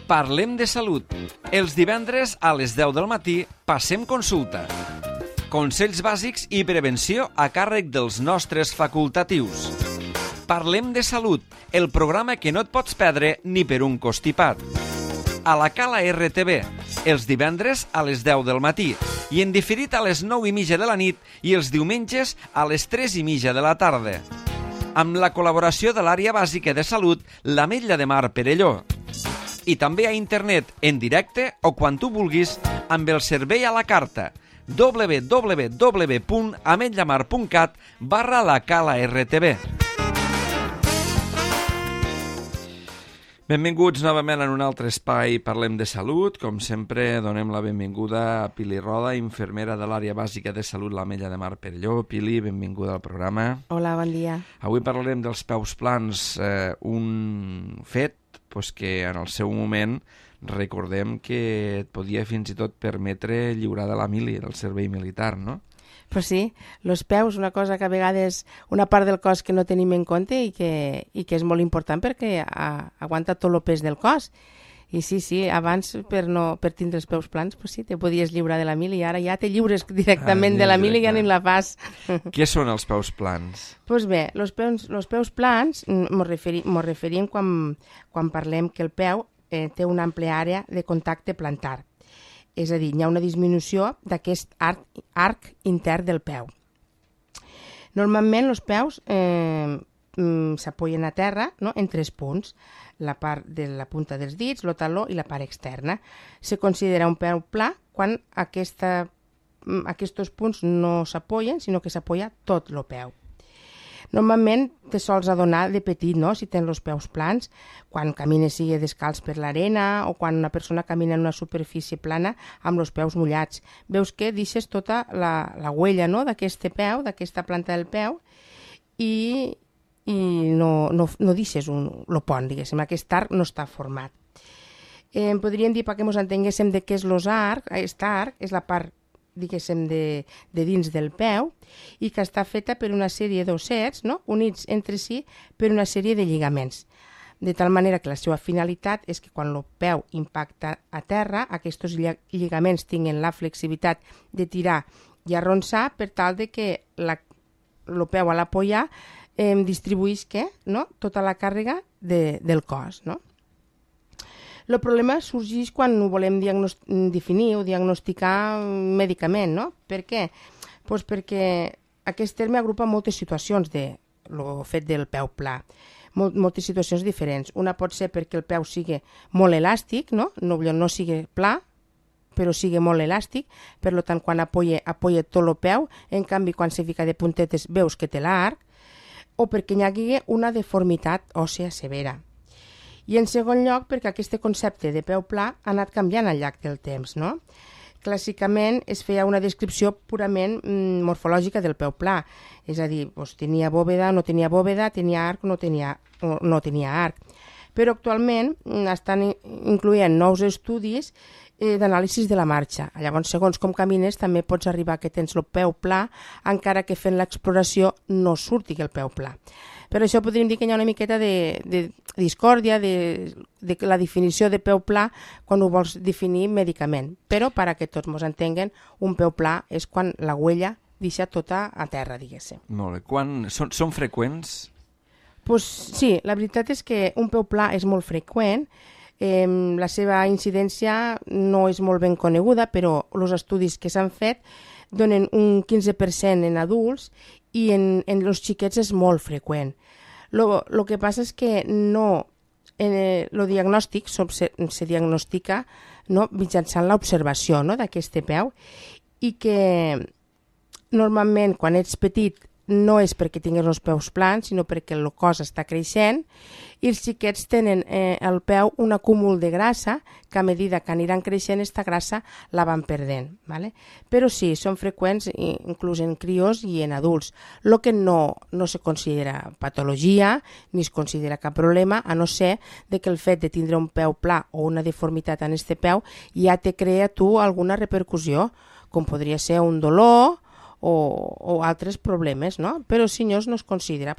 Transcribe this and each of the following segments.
Parlem de salut. Els divendres a les 10 del matí passem consulta. Consells bàsics i prevenció a càrrec dels nostres facultatius. Parlem de salut, el programa que no et pots perdre ni per un constipat. A la Cala RTV, els divendres a les 10 del matí i en diferit a les 9:30 de la nit i els diumenges a les 3:30 de la tarda. Amb la col·laboració de l'àrea bàsica de salut, l'Ametlla de Mar Perelló. I també a internet, en directe o quan tu vulguis, amb el servei a la carta www.ametllamar.cat/la Cala RTV. Benvinguts novament en un altre espai Parlem de Salut. Com sempre, donem la benvinguda a Pili Roda, infermera de l'àrea bàsica de salut l'Ametlla de Mar Perelló. Pili, benvinguda al programa. Hola, bon dia. Avui parlarem dels peus plans, un fet que en el seu moment recordem que et podia fins i tot permetre lliurar de la mili, del servei militar, no? Pues sí, els peus, una cosa que a vegades, una part del cos que no tenim en compte i que és molt important perquè aguanta tot el pes del cos. I sí, abans per tindre els peus plans, pues sí, te podies lliurar de la mili i ara ja te lliures directament de la mili i ja ni la fas. Què són els peus plans? Doncs bé, els peus plans mos referim quan parlem que el peu té una àmplia àrea de contacte plantar. És a dir, hi ha una disminució d'aquest arc intern del peu. Normalment els peus s'apoyen a terra, no?, en 3 punts, la part de la punta dels dits, el taló i la part externa. Se considera un peu pla quan aquests punts no s'apoyen, sinó que s'apoya tot el peu. Normalment te sols adonar de petit, no?, si tens els peus plans, quan camines sigui descalç per l'arena o quan una persona camina en una superfície plana amb els peus mullats. Veus que deixes tota la huella, no?, d'aquest peu, d'aquesta planta del peu i no deixes el pont, diguéssim, aquest arc no està format. Podríem dir, perquè ens entenguéssim de què és l'arc, aquest arc és la part, diguéssim, de dins del peu i que està feta per una sèrie d'ossets, no?, units entre si per una sèrie de lligaments. De tal manera que la seva finalitat és que quan el peu impacta a terra, aquests lligaments tinguin la flexibilitat de tirar i arronsar per tal de que el peu a l'apoyar distribueix tota la càrrega del cos, no? El problema sorgeix quan ho volem definir o diagnosticar mèdicament, no? Per què? Pues perquè aquest terme agrupa moltes situacions del fet del peu pla, moltes situacions diferents. Una pot ser perquè el peu sigui molt elàstic, no sigui pla, però sigui molt elàstic, per tant, quan apoya tot el peu, en canvi, quan se fica de puntetes veus que té l'arc, o perquè hi hagi una deformitat òssea severa. I en segon lloc, perquè aquest concepte de peu pla ha anat canviant al llarg del temps, no? Clàssicament es feia una descripció purament morfològica del peu pla, és a dir, tenia bòveda, no tenia bòveda, tenia arc, no tenia arc. Però actualment estan incloent nous estudis d'anàlisi de la marxa. Llavors, segons com camines, també pots arribar que tens el peu pla, encara que fent l'exploració no surti el peu pla. Per això podríem dir que hi ha una miqueta de discòrdia de la definició de peu pla quan ho vols definir mèdicament. Però, perquè tots ens entenguen, un peu pla és quan la huella deixa tota a terra, diguéssim. Molt bé. Són freqüents? Pues sí, la veritat és que un peu pla és molt freqüent. La seva incidència no és molt ben coneguda, però els estudis que s'han fet donen un 15% en adults i en els xiquets és molt freqüent. El que passa és que el diagnòstic se diagnostica mitjançant l'observació d'aquest peu i que normalment quan ets petit no és perquè tinguis els peus plans, sinó perquè el cos està creixent i els xiquets tenen al peu un acúmul de grassa que a mesura que aniran creixent aquesta grassa la van perdent. ¿Vale? Però sí, són freqüents inclús en crios i en adults. El que no se considera patologia ni es considera cap problema, a no ser que el fet de tindre un peu pla o una deformitat en aquest peu ja te crea tu alguna repercussió, com podria ser un dolor o altres problemes, no? Però si no es considera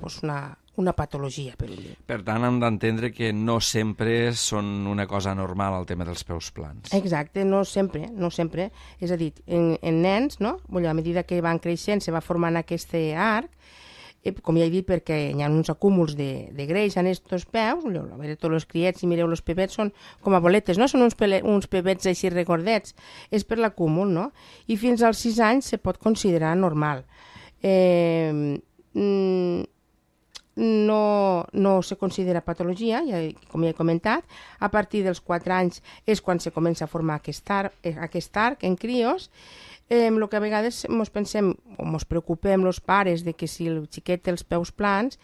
una patologia, per dir. Per tant, hem d'entendre que no sempre són una cosa normal el tema dels peus plans. Exacte, no sempre, no sempre. És a dir, en nens, no? A mesura que van creixent, se va formant aquest arc, com ja he dit, perquè hi ha uns acúmuls de greix en estos peus, a veure, tots els criets, si mireu els pebets, són com a boletes, no? Són uns pebets així recordets. És per l'acúmul, no? I fins als 6 anys se pot considerar normal. No se considera patologia, com ja he comentat. A partir dels 4 anys és quan se comença a formar aquest arc en crios. El que a vegades ens pensem o ens preocupem els pares de que si el xiquet té els peus plans,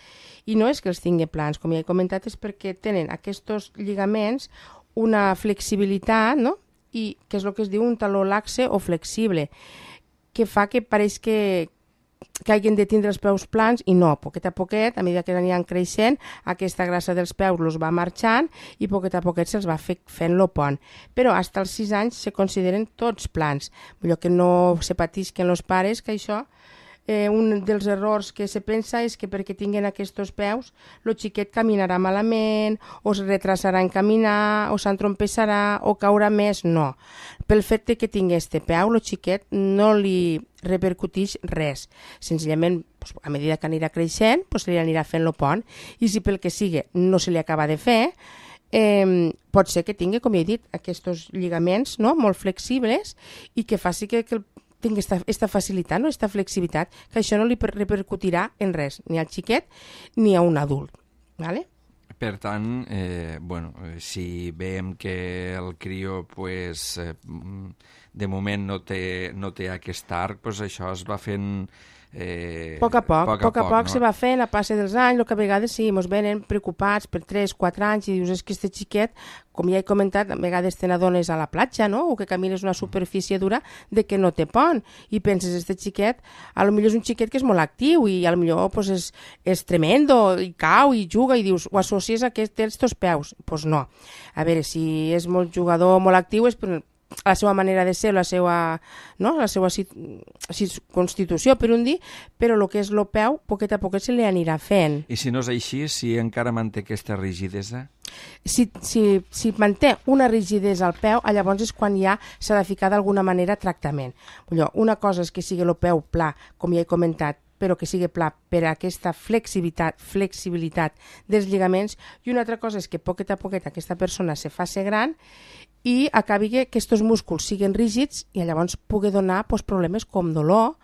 i no és que els tingui plans, com ja he comentat, és perquè tenen aquests lligaments una flexibilitat, no? I que és el que es diu un taló laxe o flexible, que fa que pareix que hagin de tindre els peus plans, i no, poquet a poquet, a mesura que aniran creixent, aquesta grassa dels peus els va marxant i poquet a poquet se'ls va fent lo pont. Però fins als 6 anys se consideren tots plans. Vull dir que no se patisquen els pares, que això, un dels errors que se pensa és que perquè tinguin aquests peus, el xiquet caminarà malament, o es retrasarà en caminar, o s'entrompessarà, o caurà més. No. Pel fet que tingui este peu, el xiquet no li repercuteix res. Senzillament, a mesura que anirà creixent, se li anirà fent el pont, i si pel que sigui no se li acaba de fer, pot ser que tingui, com he dit, aquests lligaments, no?, molt flexibles, i que faci que tingui aquesta facilitat, no?, aquesta flexibilitat, que això no li repercutirà en res, ni al xiquet ni a un adult. ¿Vale? Per tant, si veiem que el crió de moment no té aquest arc, això es va fent a poc a poc se va fent a passe dels anys. El que a vegades sí, ens venen preocupats per 3-4 anys i dius, és que este xiquet, com ja he comentat, a vegades te n'adones a la platja, no?, o que camines una superfície dura de que no té pont, i penses, este xiquet, a lo millor és un xiquet que és molt actiu i a lo millor és tremendo, i cau i juga, i dius, ho associes a que té estos peus. Doncs no. A veure, si és molt jugador, molt actiu, és per la seva manera de ser, la seva constitució, per un dir, però el que és el peu, poquet a poquet se li anirà fent. I si no és així, si encara manté aquesta rigidesa? Si manté una rigidesa al peu, llavors és quan ja s'ha de ficar d'alguna manera tractament. Una cosa és que sigui el peu pla, com ja he comentat, però que sigui pla per a aquesta flexibilitat dels lligaments, i una altra cosa és que poquet a poquet aquesta persona se faci gran i acabi que aquests músculs siguin rígids i llavors pugui donar problemes com dolor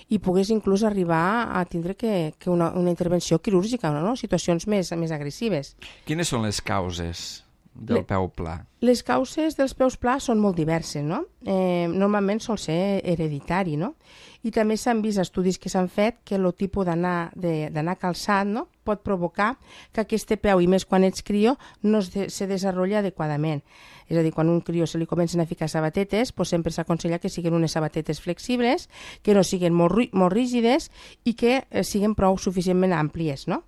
i pogués inclús arribar a tindre que una intervenció quirúrgica, no? Situacions més agressives. Quines són les causes del peu pla? Les causes dels peus plans són molt diverses, no? Normalment sol ser hereditari, no? I també s'han vist estudis que s'han fet que el tipus d'anar calçat, no?, pot provocar que aquest peu, i més quan ets crió, no se desenvolupa adequadament. És a dir, quan a un crió se li comencen a ficar sabatetes, sempre s'aconsella que siguin unes sabatetes flexibles, que no siguin molt rígides i que siguin prou suficientment àmplies, no?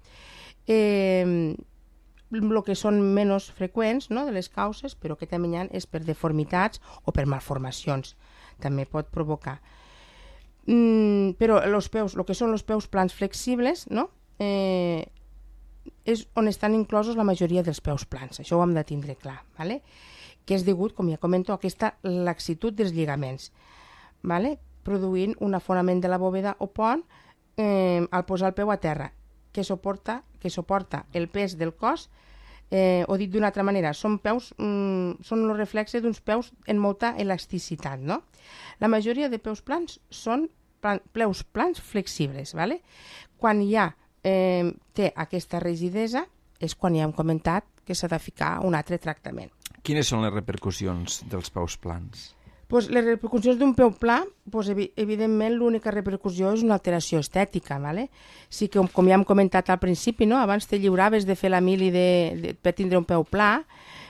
El que són menys freqüents, no?, de les causes, però que també hi ha, és per deformitats o per malformacions. També pot provocar. Però els peus, el que són els peus plans flexibles, no?, és on estan inclosos la majoria dels peus plans. Això ho hem de tindre clar, ¿vale? Que és degut, com ja comento, a aquesta laxitud dels lligaments, ¿vale?, produint un afonament de la bòveda o pont al posar el peu a terra, que suporta el pes del cos, o dit d'una altra manera, són el reflexe d'uns peus en molta elasticitat, no? La majoria de peus plans són peus plans flexibles, ¿vale? Quan ja té aquesta rigidesa és quan ja hem comentat que s'ha de ficar un altre tractament. Quines són les repercussions dels peus plans? Les repercussions d'un peu pla, evidentment l'única repercussió és una alteració estètica, ¿vale? Sí que, com ja hem comentat al principi, no?, abans te lliuraves de fer la mili per tindre un peu pla.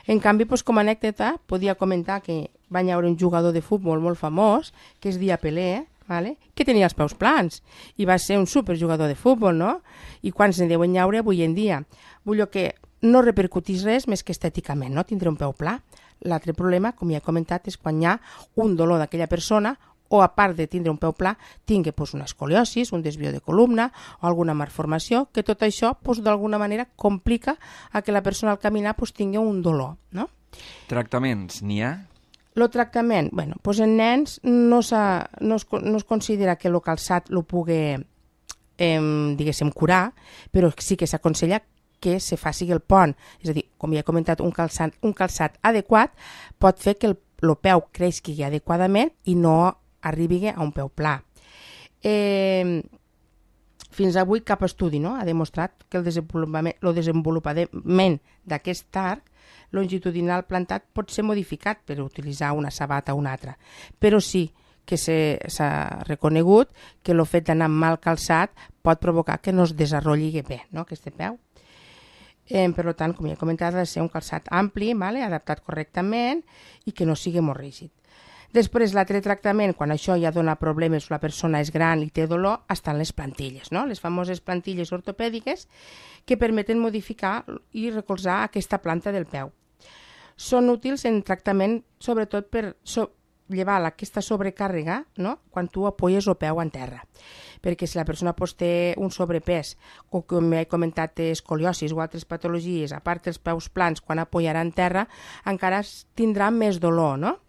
En canvi, com a anècdota, podia comentar que va haver un jugador de futbol molt famós, que és Dia Pelé, ¿vale?, que tenia els peus plans i va ser un superjugador de futbol, no? I quants en deuen llaure avui en dia? Vull dir que no repercutís res més que estèticament, no?, tindre un peu pla. L'altre problema, com ja he comentat, és quan hi ha un dolor d'aquella persona o a part de tindre un peu pla, tingui una escoliosis, un desvió de columna o alguna malformació, que tot això d'alguna manera complica a que la persona al caminar tingui un dolor, no? Tractaments, n'hi ha? El tractament, en nens no es considera que el calçat el pugui, diguéssim, curar, però sí que s'aconsella que se faci el pont. És a dir, com ja he comentat, un calçat adequat pot fer que el peu creixi adequadament i no arribi a un peu pla. Fins avui cap estudi ha demostrat que el desenvolupament d'aquest arc longitudinal plantat pot ser modificat per utilitzar una sabata o una altra, però sí que s'ha reconegut que el fet d'anar mal calçat pot provocar que no es desenvolupi bé, aquest peu. Per tant, com ja he comentat, ha de ser un calçat ampli, adaptat correctament i que no sigui molt rígid. Després, l'altre tractament, quan això ja dona problemes, la persona és gran i té dolor, estan les plantilles, les famoses plantilles ortopèdiques que permeten modificar i recolzar aquesta planta del peu. Són útils en tractament, sobretot per llevar aquesta sobrecàrrega quan tu apoyes el peu en terra. Perquè si la persona té un sobrepès o, com he comentat, té escoliosis o altres patologies, a part dels peus plans, quan apoyarà en terra, encara tindrà més dolor, no?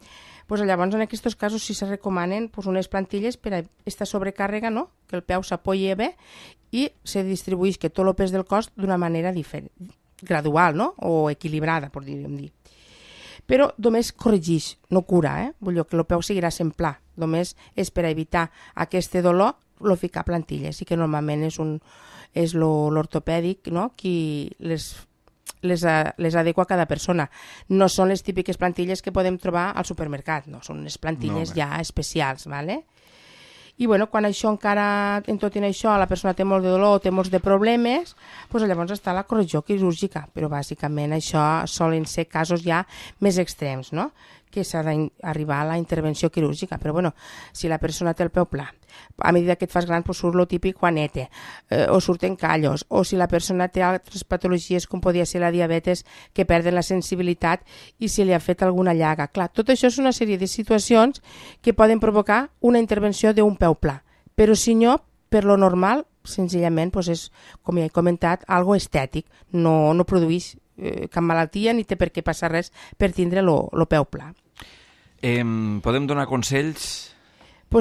Llavors, en aquests casos, sí se recomanen unes plantilles per a aquesta sobrecàrrega, que el peu s'apoyi bé i se distribueix tot el pes del cos d'una manera diferent, gradual o equilibrada, podríem dir. Però només corregeix, no cura, vull dir que el peu seguirà sent pla, només és per evitar aquest dolor ficar plantilles i que normalment és l'ortopèdic qui les adequa a cada persona. No són les típiques plantilles que podem trobar al supermercat, no, són unes plantilles ja especials, ¿vale? I quan això encara, en tot això, la persona té molt de dolor o té molts de problemes, llavors està la correcció quirúrgica, però bàsicament això solen ser casos ja més extrems, que s'ha d'arribar a la intervenció quirúrgica. Però si la persona té el peu pla, a mesura que et fas gran surt el típic juanete, o surten callos, o si la persona té altres patologies com podria ser la diabetes, que perden la sensibilitat i si li ha fet alguna llaga. Clar, tot això és una sèrie de situacions que poden provocar una intervenció d'un peu pla, però si no, per lo normal, senzillament és, com ja he comentat, algo estètic, no produeix cap malaltia ni té per què passar res per tindre el peu pla. Podem donar consells?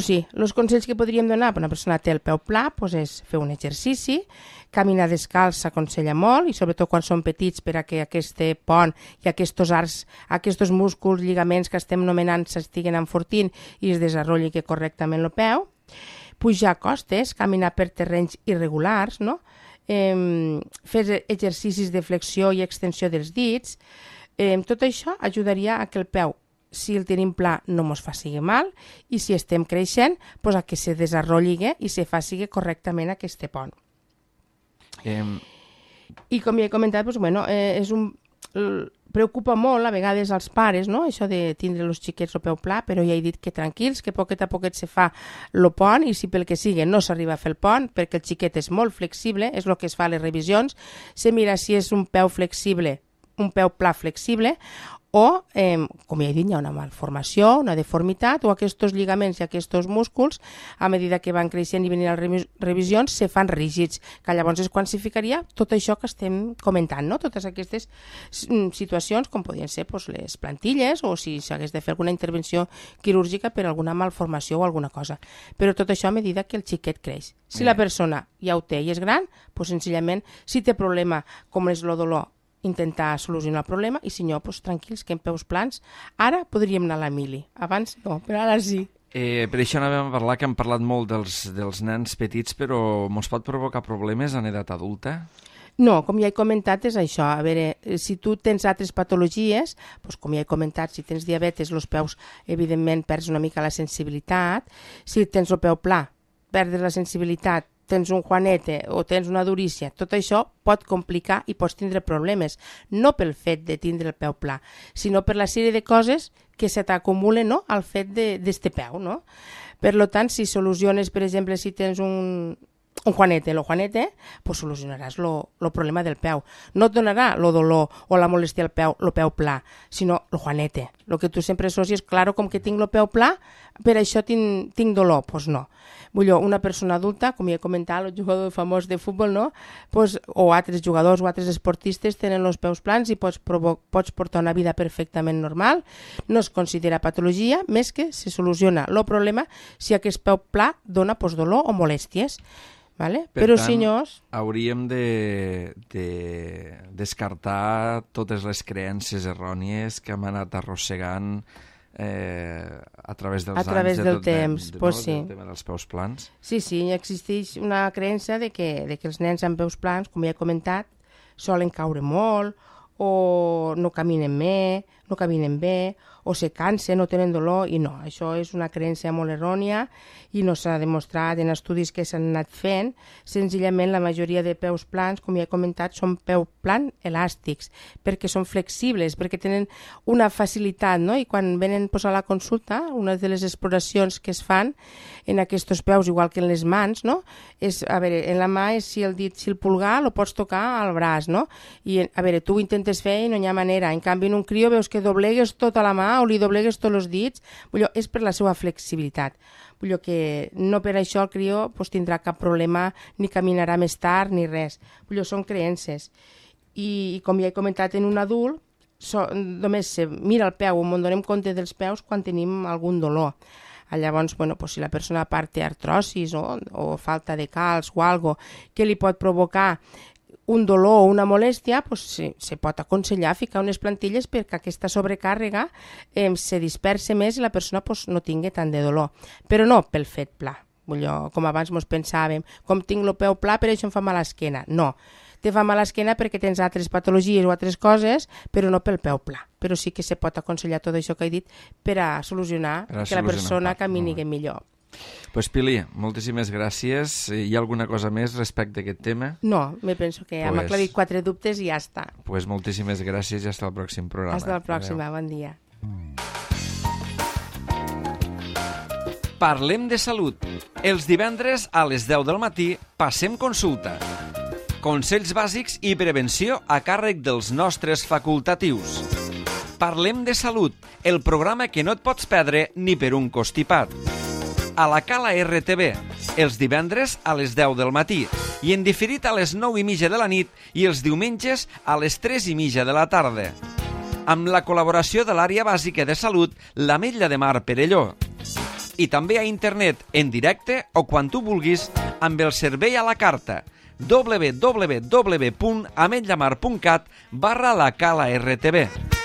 Sí, els consells que podríem donar per una persona que té el peu pla és fer un exercici, caminar descalç s'aconsella molt i sobretot quan són petits per a que aquest pont i aquests arcs, aquests músculs, lligaments que estem nomenant s'estiguen enfortint i es desenvolupi correctament el peu. Pujar costes, caminar per terrenys irregulars, fer exercicis de flexió i extensió dels dits. Tot això ajudaria a que el peu, si el tenim pla, no ens faci mal i si estem creixent, a que se desenvolupi i se faci correctament aquest pont. I com ja he comentat, preocupa molt a vegades als pares, això de tindre els xiquets el peu pla, però ja he dit que tranquils, que poquet a poquet se fa el pont i si pel que sigui no s'arriba a fer el pont, perquè el xiquet és molt flexible, és el que es fa a les revisions, se mira si és un peu flexible, un peu pla flexible, o, com ja he dit, hi ha una malformació, una deformitat, o aquests lligaments i aquests músculs, a mesura que van creixent i venint a les revisions, se fan rígids, que llavors es quantificaria tot això que estem comentant, totes aquestes situacions, com podrien ser les plantilles, o si s'hagués de fer alguna intervenció quirúrgica per alguna malformació o alguna cosa. Però tot això a mesura que el xiquet creix. Si la persona ja ho té i és gran, senzillament, si té problema com és el dolor, intentar solucionar el problema i si no, tranquils, que en peus plans ara podríem anar a la mili, abans no, però ara sí. Per això anàvem a parlar, que hem parlat molt dels nens petits, però ens pot provocar problemes en edat adulta? No, com ja he comentat, és això. A veure, si tu tens altres patologies, com ja he comentat, si tens diabetes, els peus, evidentment, perds una mica la sensibilitat. Si tens el peu pla, perds la sensibilitat, tens un juanete o tens una durícia, tot això pot complicar i pots tindre problemes, no pel fet de tindre el peu pla, sinó per la sèrie de coses que se t'acumulen al fet d'este peu. Per tant, si soluciones, per exemple, si tens un juanete, solucionaràs el problema del peu. No et donarà el dolor o la molèstia al peu, el peu pla, sinó el juanete. El que tu sempre associes, claro, com que tinc el peu pla, per això tinc dolor. Doncs no. Vull dir, una persona adulta, com ja he comentat, el jugador famós de futbol, no? Pues, o altres jugadors o altres esportistes tenen els peus plans i pots portar una vida perfectament normal. No es considera patologia, més que se soluciona el problema si aquest peu pla dona dolor o molèsties. Vale? Però tant, senyors, hauríem de descartar totes les creences errònies que hem anat arrossegant a través dels anys. A través del temps, pues sí. Del tema dels peus plans. Sí, existeix una creença de que els nens amb peus plans, com ja he comentat, solen caure molt, o no caminen bé, o se cansen, no tenen dolor, i no, això és una creença molt errònia i no s'ha demostrat en estudis que s'han anat fent. Senzillament la majoria de peus plans, com ja he comentat, són peu plan elàstics, perquè són flexibles, perquè tenen una facilitat, no? I quan venen a la consulta, una de les exploracions que es fan en aquests peus, igual que en les mans, no? És, a veure, en la mà és si el pulgar el pots tocar al braç, no? I, a veure, tu ho intentes fer i no hi ha manera. En canvi, en un crió veus que doblegues tota la mà o li doblegues tots els dits. És per la seva flexibilitat. Que no per això el crió tindrà cap problema, ni caminarà més tard, ni res. Són creences. I com ja he comentat, en un adult només se mira el peu, on donem compte dels peus quan tenim algun dolor. Llavors, si la persona té artrosis o falta de calç o algo que li pot provocar un dolor o una molèstia, se pot aconsellar ficar unes plantilles perquè aquesta sobrecàrrega se disperse més i la persona no tingui tant de dolor. Però no pel fet pla. Com abans ens pensàvem, com tinc el peu pla, per això em fa mal l'esquena. No, te fa mal l'esquena perquè tens altres patologies o altres coses, però no pel peu pla. Però sí que se pot aconsellar tot això que he dit per a solucionar que la persona camini millor. Pues Pili, moltíssimes gràcies. Hi ha alguna cosa més respecte a aquest tema? No, me penso que hem aclarit 4 dubtes i ja està. Pues moltíssimes gràcies i fins al pròxim programa. Fins al pròxim, bon dia. Parlem de salut. Els divendres a les 10 del matí passem consulta. Consells bàsics i prevenció a càrrec dels nostres facultatius. Parlem de salut, el programa que no et pots perdre ni per un constipat. A la Cala RTV, els divendres a les 10 del matí i en diferit a les 9:30 de la nit i els diumenges a les 3:30 de la tarda. Amb la col·laboració de l'àrea bàsica de salut, l'Ametlla de Mar Perelló. I també a internet, en directe o quan tu vulguis, amb el servei a la carta www.ametllamar.cat/la Cala RTV.